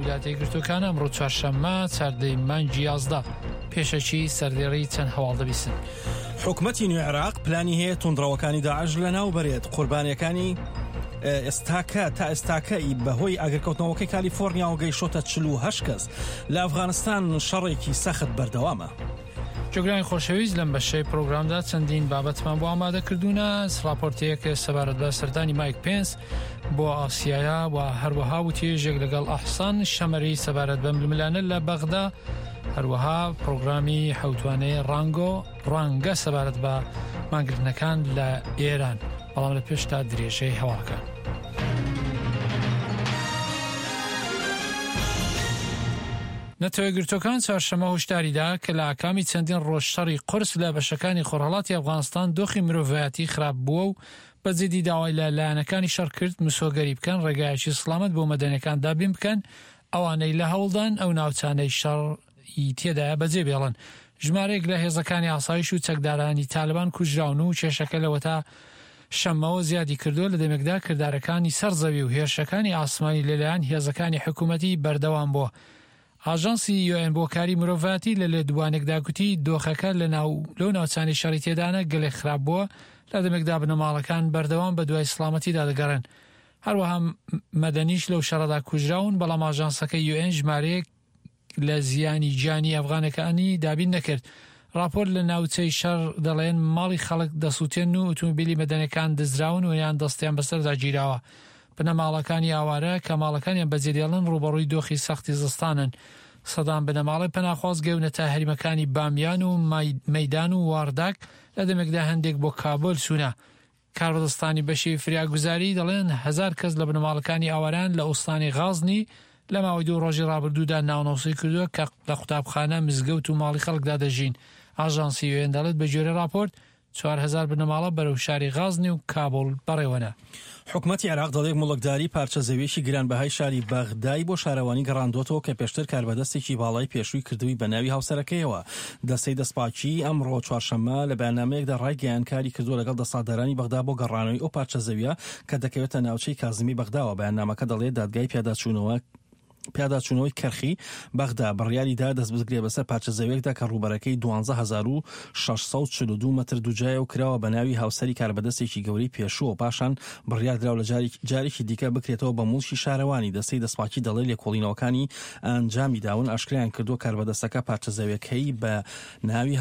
ویلایەتە یەکگرتووەکان ئەمڕۆ چوارشەممە چاردەی مانگی 11 پێشەکی سەردێڕی چەند هەواڵ دەبیسن. حکومەتی نوێ عێراق پلانی هەیە توندڕەوەکانی داعش لەناو بەرێت قوربانیەکانی ئێستاکە تا ئێستاکە ئی بەهۆی ئاگرکەوتنەوەکەی کالیفۆرنیاوە گەیشتۆتە 48 کەس لە ئەفغانستان شەڕێکی سەخت بەردەوامە. جۆگرانی خۆشەویست لەم بەشەی پرۆگرامدا چەندین بابەتمان بۆ ئامادە کردوونە راپۆرتێک سەبارەت بە سەردانی مایک پێنس بۆ ئاسیایا و هەروەها وتێژێک لەگەڵ ئەحسان شەمەری سەبارەت بە ململانە لە بەغدا هەروەها پرۆگرامی حوتوانەی ڕانگۆ ڕانگە سەبارەت بە مانگرتنەکان لە ئێران بەڵام لە پێشتا درێژەی هەواڵەکان. نەتەوەیەکگرتووەکان چوارشەممە هۆشداری دا کە لە ئاکامی چەندین ڕۆژ شەڕی قورس لە بەشەکانی خۆرهەڵاتی ئەفغانستان دۆخی مرۆڤایەتی خراپ بووە و بە جیدی داوای لە لایەنەکانی شەڕ کرد مسۆگەری بکەن ڕێگایەکی سڵامەت بۆ مەدەنیەکان دابین بکەن ئەوانەی لە هەوڵدان ئەو ناوچانەی شەڕ ی تێدایە بەجێ بێڵن. ژمارەیەک لە هێزەکانی ئاسایش و چەکدارانی تالبان کوژراون و کێشەکە لەوەتا شەممەوە زیادی کردووە لە دەمێکدا کردارەکانی سەر زەوی و هێرشەکانی ئاسمانی لەلایەن هێزەکانی حکوومەتی بەردەوام بووە. ئاژانسی یوئێن بۆ کاری مرۆڤایەتی لە لێدوانێکدا گوتی دۆخەکە لە ناو لەو ناوچانەی شەڕی تێدانە گەلێک خراپ بووە لە دەمێکدا بنەماڵەکان بەردەوام بە دوای سڵامەتیدا دەگەڕێن. هەروەها مەدەنیش لەو شەڕەدا کوژراون، بەڵام ئاژانسەکەی یوئێن ژمارەیەک لە زیانی گیانی ئەفغانەکانی دابین نەکرد. ڕاپۆرت لە ناوچەی شەڕ دەڵێن ماڵی خەڵک دەسووتێن و ئوتومبیلی مەدەنیەکان دزراون و یان دەستیان بەسەردا گیراوە. بنەماڵەکانی ئاوارە کە ماڵەکانیان بەجێدێڵن ڕووبەڕووی دۆخی سەختی زستانن. سەدان بنەماڵەی پەناخواز گەیونەتە هەریمەکانی بامیان و مەیدان و وارداک لە دەمێکدا هەندێک بۆ کابۆل چوونە. کاربەدەستانی بەشی فریاگوزاری دەڵێن هەزار کەس لە بنەماڵەکانی ئاوارەیان لە ئوستانی غازنی لە ماوەی دوو ڕۆژی ڕابردوودا ناونۆسی کردووە کە لە قوتابخانە، مزگەوت و ماڵی خەڵکدا دەژین. ئاژانسی یوئێن دەڵێت بەگوێرەی ڕاپۆرت 4000 بنەماڵە بەرەو شاری غازنی و کابوڵ بەڕێوەنە. حکومەتی عێراق دەڵێت موڵکداری پارچە زەوییەکی گرانبەهای شاری بەغدای بۆ شارەوانی گەڕاندووەتەوە کە پێشتر کاربەدەستێکی باڵای پێشووی کردبووی بە ناوی هاوسەرەکەیەوە. دەستەی دەستپاکیی ئەمڕۆ چوارشەممە لە بەیاننامەیەکدا ڕایگەیاند کاری کردووە لەگەڵ دەسەڵاتدارانی بەغدا بۆ گەڕانەوەی ئەو پارچە زەوییە کە دەکەوێتە ناوچەی کازمی بەغداوە. بەیاننامەکە دەڵێت دادگای پیاداچوونەوە پیاداچوونەوەی کەرخی بەغدا بڕیاری دا دەستبگرێت بەسەر پارچە زەویەکدا کە ڕووبەرەکەی 12642 مەتر دووجایە و کراوە بە ناوی هاوسەری کاربەدەستێکی گەورەی پێشووە و پاشان بڕیاردراو لە جارێکی دیکە بکرێتەوە بە موڵکی شارەوانی. دەستەی دەستپاکی دەڵێت لێکۆڵینەوەکانی ئەنجامی داون ئاشکرایان کردووە کاربەدەستەکە پارچە زەویەکەی بە ناوی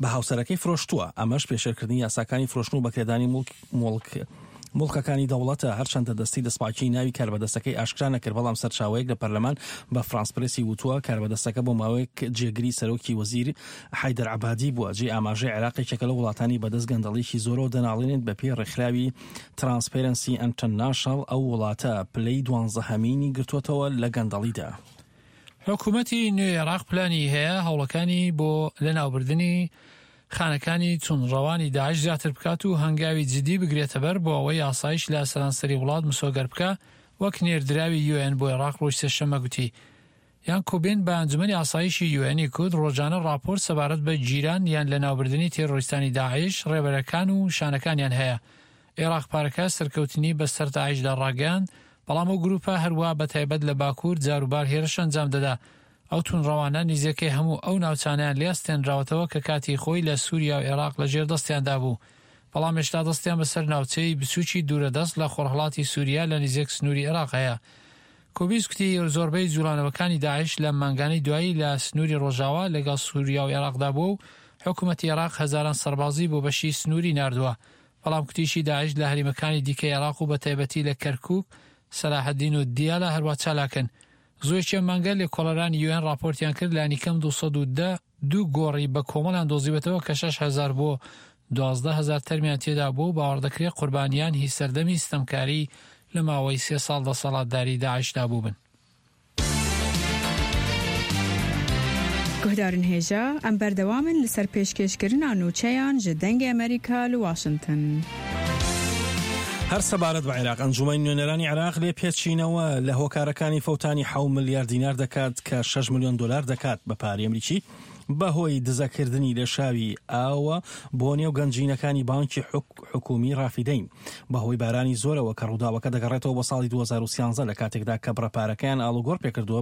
بە هاوسەرەکەی فرۆشتووە، ئەمەش پێشێلکردنی یاساکانی فرۆشتن و بەکرێدانی موڵک موڵکەکانی دەوڵەتە، هەرچەندە دەستەی دەستپاکیی ناوی کاربەدەستەکەی ئاشکرا نەکرد، بەڵام سەرچاوەیەک لە پەرلەمان بە فرانس پرێسی وتووە، کاربەدەستەکە بۆ ماوەیەک جێگری سەرۆکی وەزیر حەیدەر عەبادی بووە. جێی ئاماژەیە عێراق یەکێکە لەو وڵاتانەی بەدەست گەندەڵیی زۆرەوە دەناڵێنێت، بەپێی ڕێکخراوی ترانسپێرەنسی ئەنتەرناشناڵ ئەو وڵاتە پلەی دوانزەهەمینی گرتووەتەوە لە گەندەڵیدا. حکومەتی نوێی عێراق پلانی هەیە هەوڵەکانی بۆ لەناوبردنی خانەکانی توندڕەوانی داعش زیاتر بکات و هەنگاوی جدی بگرێتەبەر بۆ ئەوەی ئاسایش لە سەرانسەری وڵات مسۆگەر بکا، وەک نێردراوی یوئێن بۆ عێراق ڕۆژی سێشەممە گوتی. یان کوبین بە ئەنجومەنی ئاسایشی یوئێنی کوت ڕۆژانە ڕاپۆرت سەبارەت بە گیران یان لەناوبردنی تێرۆریستانی داعش، ڕێبەرەکان و شانەکانیان هەیە. عێراق پارەکە سەرکەوتنی بە سەر داعشدا ڕاگەیاند، بەڵام ئەو گروپە هەروا بە تایبەت لە باکوور جاروبار هێرش ئەنجام دەدا. ئەو توندڕەوانە نیزیکەی هەموو ئەو ناوچانەیان لێ ئەستێنراوەتەوە کە کاتی خۆی لە سوریا و عێراق لە ژێر دەستیاندا بوو، بەڵام هێشتا دەستیان بەسەر ناوچەی بچووکی دوورەدەست لە خۆرهەڵاتی سوریا لە نیزیک سنووری عێراق هەیە. کوبیس گوتی زۆربەی جوڵانەوەکانی داعش لەم مانگانەی دوایی لە سنووری ڕۆژاوا لەگەڵ سوریا و عێراقدا بووە و حکومەتی عێراق هەزاران سەربازی بۆ بەشی سنووری ناردووە، بەڵام کوتیشی داعش لە هەریمەکانی دیکەی عێراق و بەتایبەتی لە کەرکوک، سەلاحەدین و دیالە هەروا چالاکن. زوویەکی ئەم مانگە لێکۆڵەرانی یوئێن ڕاپۆرتیان کرد لانیکەم 210 دوو گۆڕی بە کۆمەڵیان دۆزیوەتەوە کە 6000 بۆ 12000 تەرمیان تێدا بووە و باوەڕدەکرێت قوربانیان هی سەردەمی ستەمکاری لە ماوەی سێ ساڵ دەسەڵاتداری داعشدا بووبن. Guhdarên hêja, em berdewam in li ser pêşkêşkirina nûçeyan ji Dengê Amerîka li Washington. هەر سەبارەت بە عێراق، ئەنجومەنی نوێنەرانی عێراق لێپێچینەوە لە هۆکارەکانی فەوتانی حەو ملیار دینار دەکات کە 6 ملیۆن دۆلار دەکات بە پارەی ئەمریکی بەهۆی دزەکردنی لێشاوی ئاوە بۆ نێو گەنجینەکانی بانکی حکومی رافیدەین بەهۆی بارانی زۆرەوە کە ڕووداوەکە دەگەڕێتەوە بۆ ساڵی 2013 لە کاتێکدا کە بڕە پارەکەیان ئاڵوگۆڕ پێکردووە.